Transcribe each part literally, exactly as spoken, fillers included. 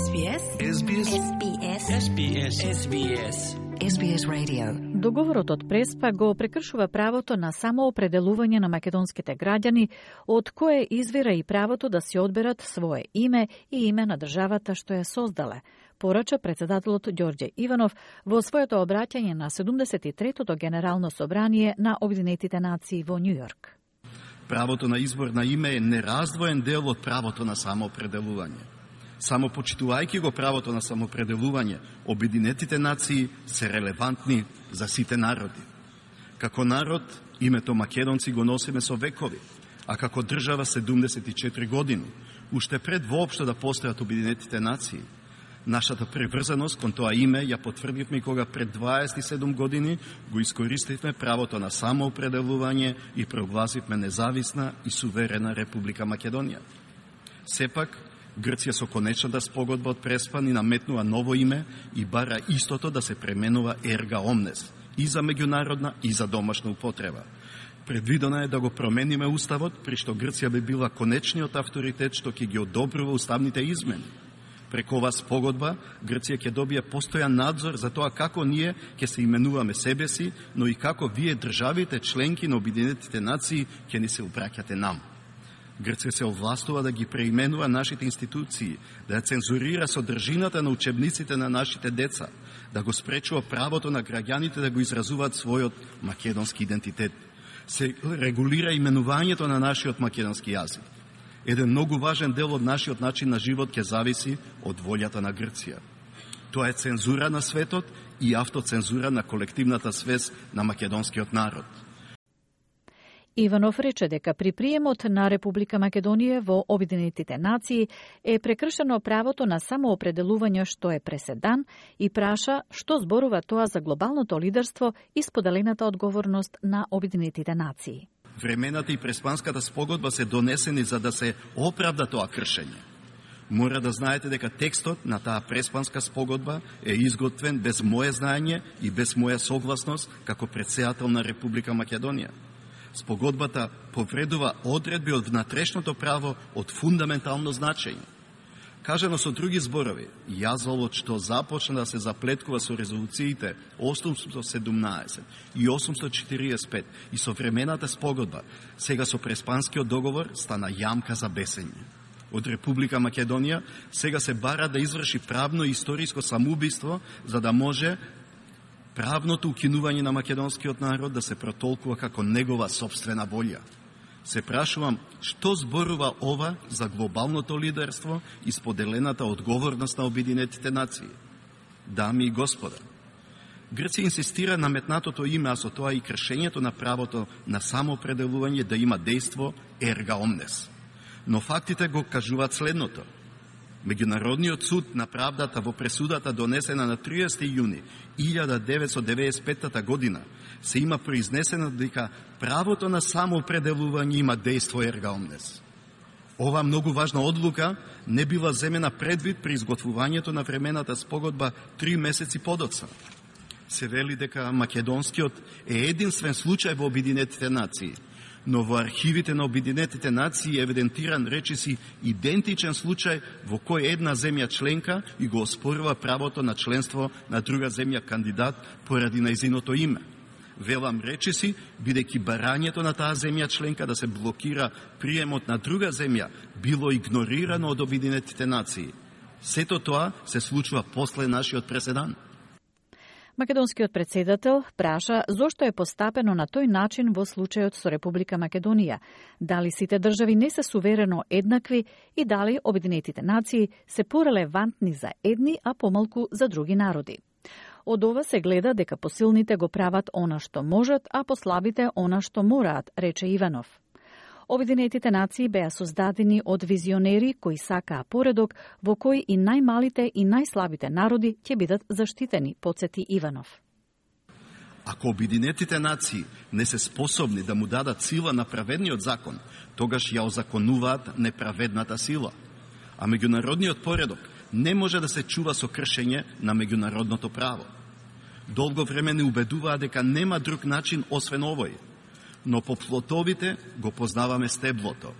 Ес Би Ес. Ес Би Ес. Ес Би Ес. Ес Би Ес. Ес Би Ес Radio. Договорот од Преспа го прекршува правото на самоопределување на македонските граѓани, од кое извира и правото да си одберат свое име и име на државата што ја создале, порача председателот Ѓорѓе Иванов во своето обраќање на седумдесет и третото Генерално собрание на Обединетите нации во Њујорк. Правото на избор на име е нераздвоен дел од правото на самоопределување. Само почитувајќи го правото на самоопределување, Обединетите нации се релевантни за сите народи. Како народ, името македонци го носиме со векови, а како држава седумдесет и четири години, уште пред воопшто да постојат Обединетите нации. Нашата приврзаност кон тоа име ја потврдивме кога пред дваесет и седум години го искористивме правото на самоопределување и прогласивме независна и суверена Република Македонија. Сепак, Грција со конечната спогодба од Преспа ни наметнува ново име и бара истото да се пременува ерга омнес, и за меѓународна и за домашна употреба. Предвидено е да го промениме уставот, при што Грција би била конечниот авторитет што ќе ги одобрува уставните измени. Преку оваа спогодба, Грција ќе добие постојан надзор за тоа како ние ќе се именуваме себе си, но и како вие државите членки на Обединетите нации ќе ни се обраќате нам. Грција се овластува да ги преименува нашите институции, да ја цензурира содржината на учебниците на нашите деца, да го спречува правото на граѓаните да го изразуваат својот македонски идентитет. Се регулира именувањето на нашиот македонски јазик. Еден многу важен дел од нашиот начин на живот ќе зависи од волјата на Грција. Тоа е цензура на светот и автоцензура на колективната свест на македонскиот народ. Иванов рече дека при приемот на Република Македонија во Обединетите нации е прекршено правото на самоопределување што е преседан и праша што зборува тоа за глобалното лидерство и споделената одговорност на Обединетите нации. Времената и Преспанската спогодба се донесени за да се оправда тоа кршење. Мора да знаете дека текстот на таа Преспанска спогодба е изготвен без моје знаење и без моја согласност како претседател на Република Македонија. Спогодбата повредува одредби од внатрешното право од фундаментално значење. Кажано со други зборови, јазволот што започна да се заплеткува со резолуциите осумстотини и седумнаесет и осумстотини и четиридесет и пет и со времената спогодба, сега со Преспанскиот договор стана јамка за бесење. Од Република Македонија сега се бара да изврши правно и историско самоубиство за да може правното укинување на македонскиот народ да се протолкува како негова собствена волја. Се прашувам, што зборува ова за глобалното лидерство и споделената одговорност на Обединетите нации? Дами и господа, Грција инсистира на метнатото име, а со тоа и кршењето на правото на самоопределување да има дејство ерга омнес. Но фактите го кажуваат следното. Меѓународниот суд на правдата во пресудата донесена на триесети јуни илјада деветстотини деветдесет и петта година се има произнесено дека правото на самоопределување има дејство ерга омнес. Ова многу важна одлука не била земена предвид при изготвувањето на времената спогодба три месеци подоцна. Се вели дека македонскиот е единствен случај во Обединетите нации, но во архивите на Обединетите нации е евидентиран речиси идентичен случај во кој една земја членка и го оспорува правото на членство на друга земја кандидат поради најзиното име. Велам речиси, бидејќи барањето на таа земја членка да се блокира приемот на друга земја било игнорирано од Обединетите нации. Сето тоа се случува после нашиот преседан. Македонскиот председател праша зошто е постапено на тој начин во случајот со Република Македонија, дали сите држави не се суверено еднакви и дали Обединетите нации се порелевантни за едни, а помалку за други народи. Од ова се гледа дека посилните го прават она што можат, а послабите она што мораат, рече Иванов. Обединетите нации беа создадени од визионери кои сакаа поредок во кој и најмалите и најслабите народи ќе бидат заштитени, потсети Иванов. Ако Обединетите нации не се способни да му дадат сила на праведниот закон, тогаш ја озаконуваат неправедната сила. А меѓународниот поредок не може да се чува со кршење на меѓународното право. Долго време не убедуваа дека нема друг начин освен овој. Но по плотовите го познаваме стеблото.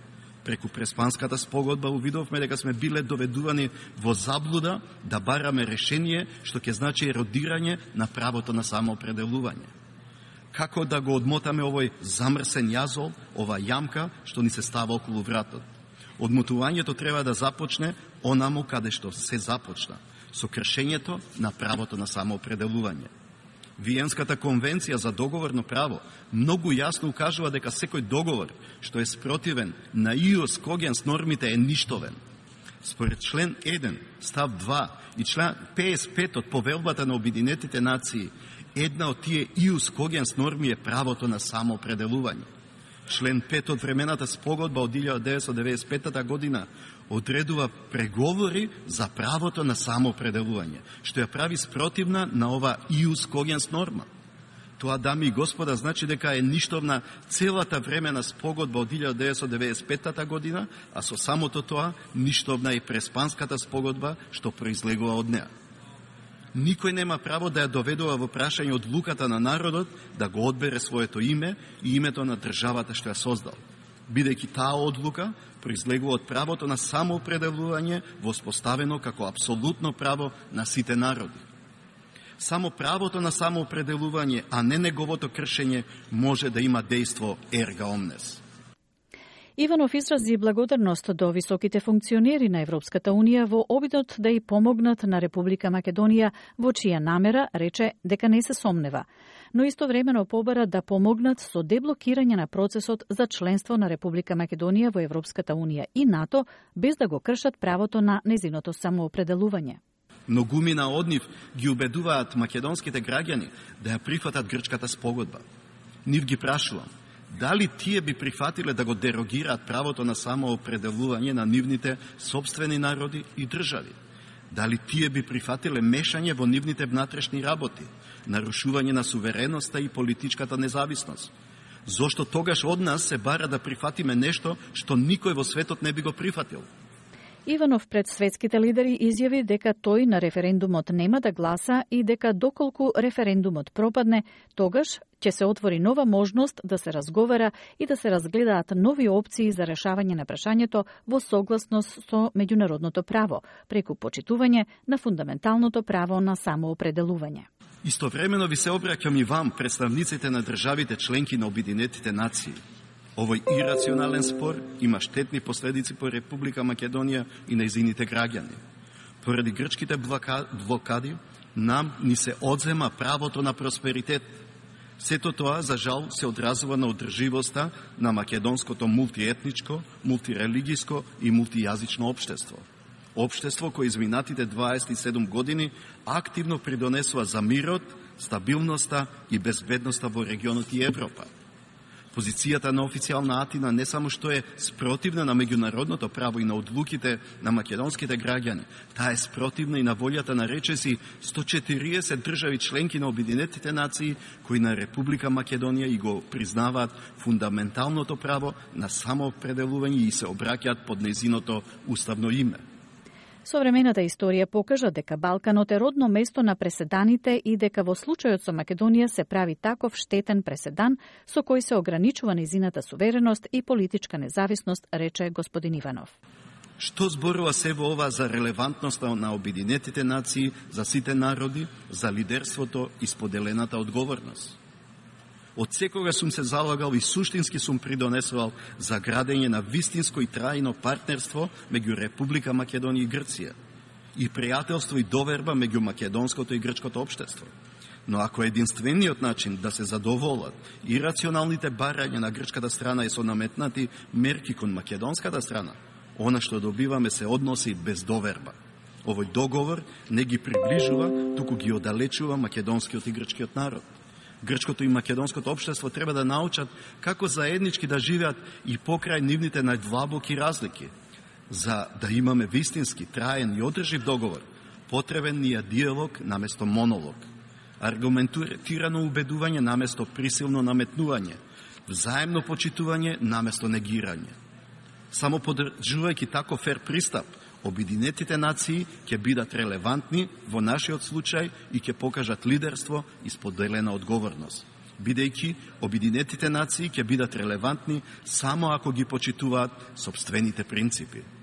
Преку Преспанската спогодба увидовме дека сме биле доведувани во заблуда да бараме решение што ќе значи еродирање на правото на самоопределување. Како да го одмотаме овој замрсен јазол, ова јамка што ни се става околу вратот? Одмотувањето треба да започне онаму каде што се започна, со кршењето на правото на самоопределување. Виенската конвенција за договорно право многу јасно укажува дека секој договор што е спротивен на ИОС когенс нормите е ништовен. Според член еден, став два и член петдесет и пет од Повелбата на Обединетите нации, една од тие ИОС когенс норми е правото на самоопределување. Член пет од времената спогодба од илјада деветстотини деветдесет и пета година одредува преговори за правото на самоопределување, што ја прави спротивна на ова ИУС когенс норма. Тоа, дами и господа, значи дека е ништовна целата времена спогодба од илјада деветстотини деветдесет и пета година, а со самото тоа ништовна и Преспанската спогодба што произлегува од неа. Никој нема право да ја доведува во прашање одлуката на народот да го одбере своето име и името на државата што ја создал, бидејќи таа одлука произлегува од правото на самоопределување воспоставено како апсолутно право на сите народи. Само правото на самоопределување, а не неговото кршење, може да има дејство ерга омнес. Иванов изрази благодарност до високите функционери на Европската Унија во обидот да ја помогнат на Република Македонија, во чија намера рече дека не се сомнева, но истовремено побара да помогнат со деблокирање на процесот за членство на Република Македонија во Европската Унија и НАТО, без да го кршат правото на незиното самоопределување. Многумина од нив ги убедуваат македонските граѓани да ја прифатат грчката спогодба. Нив ги прашувам, дали тие би прифатиле да го дерогираат правото на самоопределување на нивните сопствени народи и држави? Дали тие би прифатиле мешање во нивните внатрешни работи, нарушување на сувереноста и политичката независност? Зошто тогаш од нас се бара да прифатиме нешто што никој во светот не би го прифатил? Иванов пред светските лидери изјави дека тој на референдумот нема да гласа и дека доколку референдумот пропадне, тогаш ќе се отвори нова можност да се разговара и да се разгледаат нови опции за решавање на прашањето во согласност со меѓународното право, преку почитување на фундаменталното право на самоопределување. Истовремено ви се обраќам и вам, представниците на државите членки на Обединетите нации. Овој ирационален спор има штетни последици по Република Македонија и нејзините граѓани. Поради грчките блокади, нам ни се одзема правото на просперитет. Сето тоа, за жал, се одразува на одрживоста на македонското мултиетничко, мултирелигиско и мултијазично општество. Општество кој изминатите дваесет и седум години активно придонесува за мирот, стабилноста и безбедноста во регионот и Европа. Позицијата на официјална Атина не само што е спротивна на меѓународното право и на одлуките на македонските граѓани, таа е спротивна и на волјата на речиси сто четириесет држави членки на Обединетите нации кои на Република Македонија и го признаваат фундаменталното право на самоопределување и се обраќаат под нејзиното уставно име. Современата историја покажа дека Балканот е родно место на преседаните и дека во случајот со Македонија се прави таков штетен преседан со кој се ограничува нејзината сувереност и политичка независност, рече господин Иванов. Што зборува се во ова за релевантноста на Обединетите нации, за сите народи, за лидерството и споделената одговорност? Од секога сум се залагал и суштински сум придонесувал за градење на вистинско и трајно партнерство меѓу Република Македонија и Грција и пријателство и доверба меѓу македонското и грчкото општество. Но ако единствениот начин да се задоволат и рационалните барања на грчката страна е со наметнати мерки кон македонската страна, она што добиваме се односи без доверба. Овој договор не ги приближува, туку ги оддалечува македонскиот и грчкиот народ. Грчкото и македонското општество треба да научат како заеднички да живеат и покрај нивните најдлабоки разлики. За да имаме вистински, траен и одржив договор, потребен ни е диалог наместо монолог, аргументирано убедување наместо присилно наметнување, взаемно почитување наместо негирање. Само поддржувајќи тако фер пристап, Обединетите нации ќе бидат релевантни во нашиот случај и ќе покажат лидерство и споделена одговорност. бидејќи обединетите нации ќе бидат релевантни само ако ги почитуваат сопствените принципи.